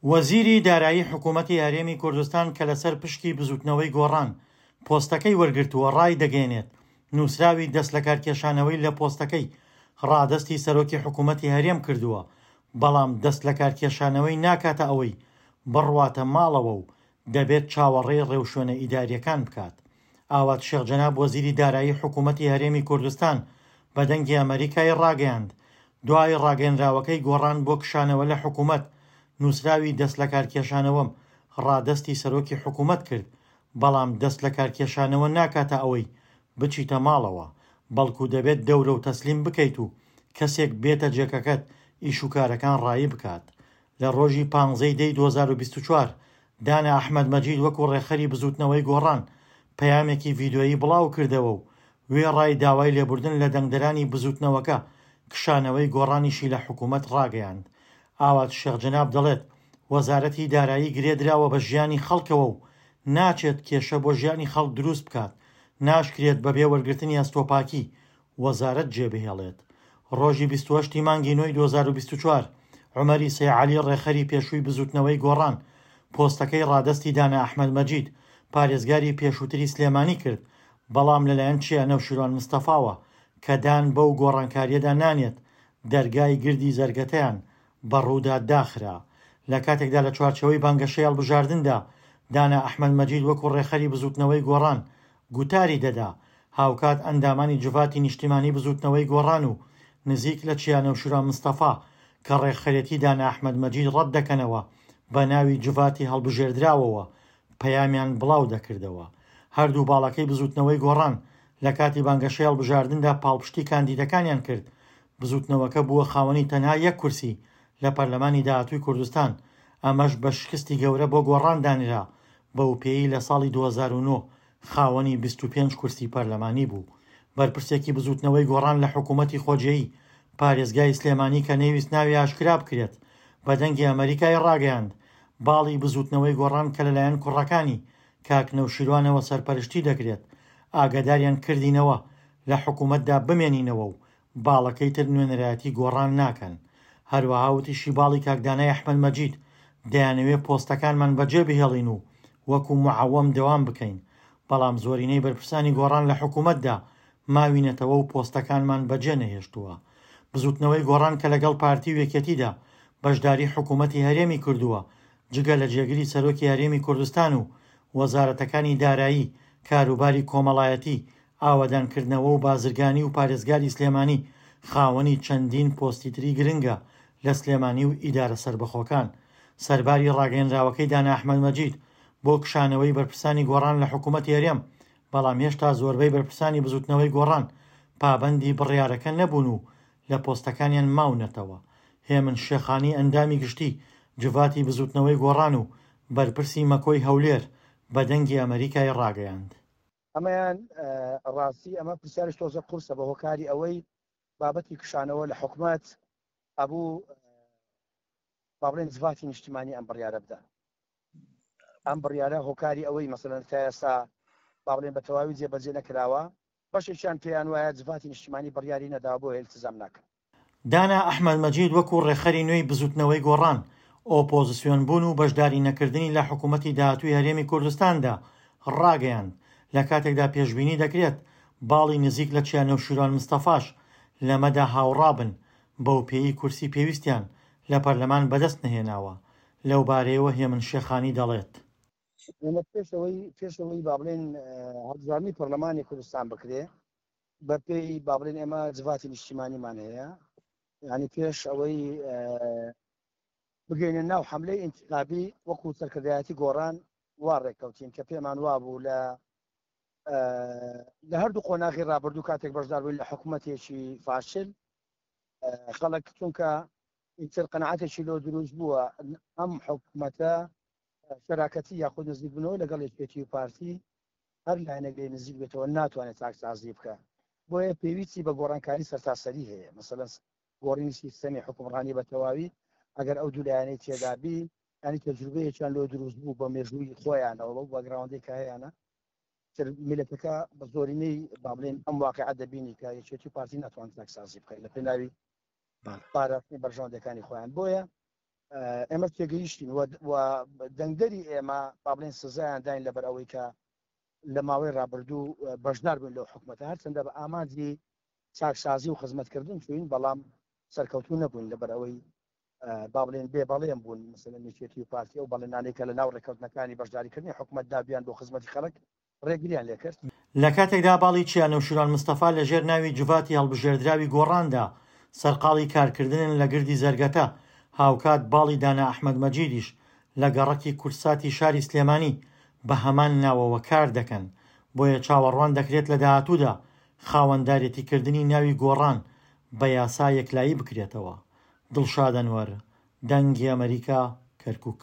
وەزیری دارایی حکوومەتی هەرێمی کوردستان کە لەسەر پشکی بزووتنەوەی گۆڕان پۆستەکەی وەرگرتووە ڕایدەگەیەنێت، نووسراوی دەستلەکارکێشانەوەی لە پۆستەکەی ڕادەستی سەرۆکی حکوومەتی هەرێم کردووە، بەڵام دەستلەکارکێشانەوەی ناکاتە ئەوەی بڕواتە ماڵەوە و دەبێت چاوەڕێی ڕێوشوێنە ئیدارییەکان بکات. ئاوات شێخ جەناب وەزیری دارایی حکوومەتی هەرێمی کوردستان بە دەنگی ئەمەریکای ڕاگەیاند، دوای ڕاگەیەنراوەکەی گۆڕان بۆ کشانەوە لە حکوومەت، نووسراوی دەستلەکارکێشانەوەم ڕادەستی سەرۆکی حکوومەت کرد، بەڵام دەستلەکارکێشانەوە ناکاتە ئەوەی بچیتە ماڵەوە، بەڵکو دەبێت دەورە و تەسلیم بکەیت و کەسێک بێتە جێگەکەت ئیشوکارەکان ڕایی بکات. لە ڕۆژی پانزەی دەی 2024 دانا ئەحمەد مەجید وەکو ڕێکخەری بزووتنەوەی گۆڕان پەیامێکی ڤیدیۆیی بڵاوکردەوە و وێڕای داوای لێبوردن لە دەنگدەرانی بزووتنەوەکە، کشانەوەی گۆڕانیشی لە حکوومەت ڕاگەیاند. ئاوات شێخ جەناب دەڵێت، وەزارەتی دارایی گرێ دراوە بە ژیانی خەڵکەوە و ناچێت کێشە بۆ ژیانی خەڵک دروست بکات، ناشکرێت بەبێ وەرگرتنی ئەستۆپاکی وەزارەت جێبهێڵێت. ڕۆژی 28 ی مانگی نۆی 2024، عومەری سەی عەلی ڕێکخەری پێشووی بزووتنەوەی گۆڕان، پۆستەکەی ڕادەستی دانا ئەحمەد مەجید، پارێزگاری پێشووتری سلێمانی کرد، بەڵام لەلایەن چیا نەوشیروان مستەفاوە کە دان بەو گۆڕانکارییەدا نانێت، دەرگای گردی زەرگەتەیان بەڕوودا داخرا. لە کاتێکدا لە چوارچێوەی بانگەشەی هەڵبژاردندا دانا ئەحمەد مەجید وەکو ڕێکخەری بزووتنەوەی گۆڕان گوتاری دەدا، هاوکات ئەندامانی جڤاتی نیشتیمانی بزووتنەوەی گۆڕان و نزیک لە چیا نەوشیروان مستەفا کە ڕێکخەرێتی دانا ئەحمەد مەجید ڕەت دەکەنەوە بە ناوی جڤاتی هەڵبژێردراوەوە پەیامیان بڵاو دەکردەوە. هەردوو باڵەکەی بزووتنەوەی گۆڕان لە کاتی بانگەشەی هەڵبژاردندا پاڵپشتی کاندیدەکانیان کرد، بزووتنەوەکە بووە خاوەنی تەنها یەک کورسی لە پەرلەمانی داهاتووی کوردستان، ئەمەش بە شکستی گەورە بۆ گۆڕان دانرا، بەوپێیەی لە ساڵی 2009 خاوەنی 25 کورسی پەرلەمانی بوو. بەرپرسێکی بزووتنەوەی گۆڕان لە حکوومەتی خۆجێی پارێزگای سلێمانی کە نەیویست ناوی ئاشکرا بکرێت بە دەنگی ئەمەریکای ڕاگەیاند، باڵی بزووتنەوەی گۆڕان کە لەلایەن کوڕەکانی کاک نەوشیروانەوە سەرپەرشتی دەکرێت، ئاگاداریان کردینەوە لە حکوومەتدا بمێنینەوە و باڵەکەی تر نوێنەرایەتی گۆڕان ناکەن. هەروەها وتیشی باڵی کاک دانای ئەحمەد مەجید دەیانەوێ پۆستەکانمان بەجێ بهێڵین و وەکو معەوەم دەوام بکەین، بەڵام زۆرینەی بەرپرسانی گۆڕان لە حکوومەتدا ماوینەتەوە و پۆستەکانمان بەجێ نەهێشتووە. بزووتنەوەی گۆڕان کە لەگەڵ پارتی و یەکێتیدا بەشداری حکوومەتی هەرێمی کردووە، جگە لە جێگری سەرۆکی هەرێمی کوردستان و وەزارەتەکانی دارایی، کاروباری کۆمەڵایەتی، ئاوەدانکردنەوە و بازرگانی و پارێزگاری سلێمانی، خاوەنی چەندین پۆستی تری گرنگە لە سلێمانی و ئیدارە سەربەخۆکان. سەرباری ڕاگەیەنراوەکەی دانا ئەحمەد مەجید بۆ کشانەوەی بەرپرسانی گۆڕان لە حکوومەتی هەرێم، بەڵام هێشتا زۆربەی بەرپرسانی بزوتنەوەی گۆڕان پابەندی بڕیارەکە نەبوون و لە پۆستەکانیان ماونەتەوە. هێمن شێخانی ئەندامی گشتی جڤاتی بزوتنەوەی گۆڕان و بەرپرسی مەکۆی هەولێر بە دەنگی ئەمەریکای ڕاگەیاند. ئەمەیان ڕاستی ئەمە پرسیارش تۆزە قورسە بە هۆکاری ئەوەی بابەتی کشانەوە لە حکومەت ئەبوو با بڵێن جڤاتی نیشتیمانی ئەم بڕیارە بدە ئەم بڕیارە هۆکاری ئەوەی مەسەلەن تا ئێستا با بڵێن بە تەواوی جێبەجێ نەکراوە، بەشێکیان پێیان وایە جڤاتی نیشتیمانی بڕیاری نەداوە بۆیە ئیلتزام ناکەن. دانا ئەحمەد مەجید وەکو ڕێکخەری نوێی بزوتنەوەی گۆڕان، ئۆپۆزسیۆن بوون و بەشداری نەکردنی لە حکومەتی داهاتووی هەرێمی کوردستاندا ڕاگەیاند، لە کاتێکدا پێشبینی دەکرێت باڵی نزیک لە چیا نەوشیروان مستەفاش لەمەدا هاوڕابن، بەوپێیەی کورسی پێویستیان لە پەرلەمان بەدەست نەهێناوە. لەوبارەیەوە هێمن شێخانی دەڵێت. ئێمە پێش ئەوەی پێش ئەوەی با بڵێین هەڵبژاردنی پەرلەمانی کوردستان بکرێ بە پێی با بڵێن ئێمە جڤاتی نیشتیمانیمان هەیە یعنی پێش ئەوەی بگەینە ناو حملەی ئینتخابی وەکو سەرکردایەتی گۆڕان وا ڕێککەوتین کە پێمان وابوو لە لە هەردوو قۆناغی ڕابردوو کاتێک بەشدار بووین لە حکوومەتێکی فاشل خەڵک چونکە ئیتر قەناعەتێکی لۆ دروست بووە ئەم حکومەتە شەراکەتی یاخود نزیکبوونەوە لەگەڵ یەکێتی و پارتی هەر لایەنێک لێ نزیک بێتەوە ناتوانێت چاکسازی بکە بۆیە پێویستی بە گۆڕانکاری سەرتاسەری هەیە مەسەلەن گۆڕینی سیستەمی حکومڕانی بە تەواوی ئەگەر ئەو دوو لایەنەی تێدابی ینی تەجروبەیەکیان لۆ دروست بوو بە مێژووی خۆیانەوە بەو باگراوندەی کە هەیانە تر میلەتەکە بە زۆرینەی با بڵێن ئەم واقعە دەبینی کە یەکێتی و پارتی ناتوان چاکسازی بکەن لە پێناوی پاراستنی بەرژەوەندەکانی خۆیان بۆیە. ئێمە تێگەیشتین و دەنگدەری ئێمە با بڵێن سزایان داین لەبەر ئەوەی کە لە ماوەی ڕابردوو بەشدار بووین لەو حکومەتە، هەرچەندە بە ئامانجی چاکسازی و خزمەتکردن چووین، بەڵام سەرکەوتوو نەبووین لەبەر ئەوەی با بڵێن بێ بەڵێن بوون، مەسەلەن یەکێتی و پارتی ئەو بەڵێنانەی کە لە ناو ڕێککەوتنەکانی بەشداریکردنی حکومەتدا بیان بۆ خزمەتی خەڵک ڕێگریان لێکرد. لە کاتێکدا باڵی چیا نەوشیروان مستەفا لە ژێر ناوی جڤاتی هەڵبژێردراوی گۆڕاندا سەرقاڵی کارکردنن لە گردی زەرگەتە، هاوکات باڵی دانا ئەحمەد مەجیدیش لە گەڕەکی کوردساتی شاری سلێمانی بە هەمان ناوەوە کار دەکەن، بۆیە چاوەڕوان دەکرێت لە داهاتوودا خاوەندارێتیکردنی ناوی گۆڕان بە یاسا یەکلایی بکرێتەوە. دڵشاد ئەنوەر، دەنگی ئەمەریکا، کەرکوک.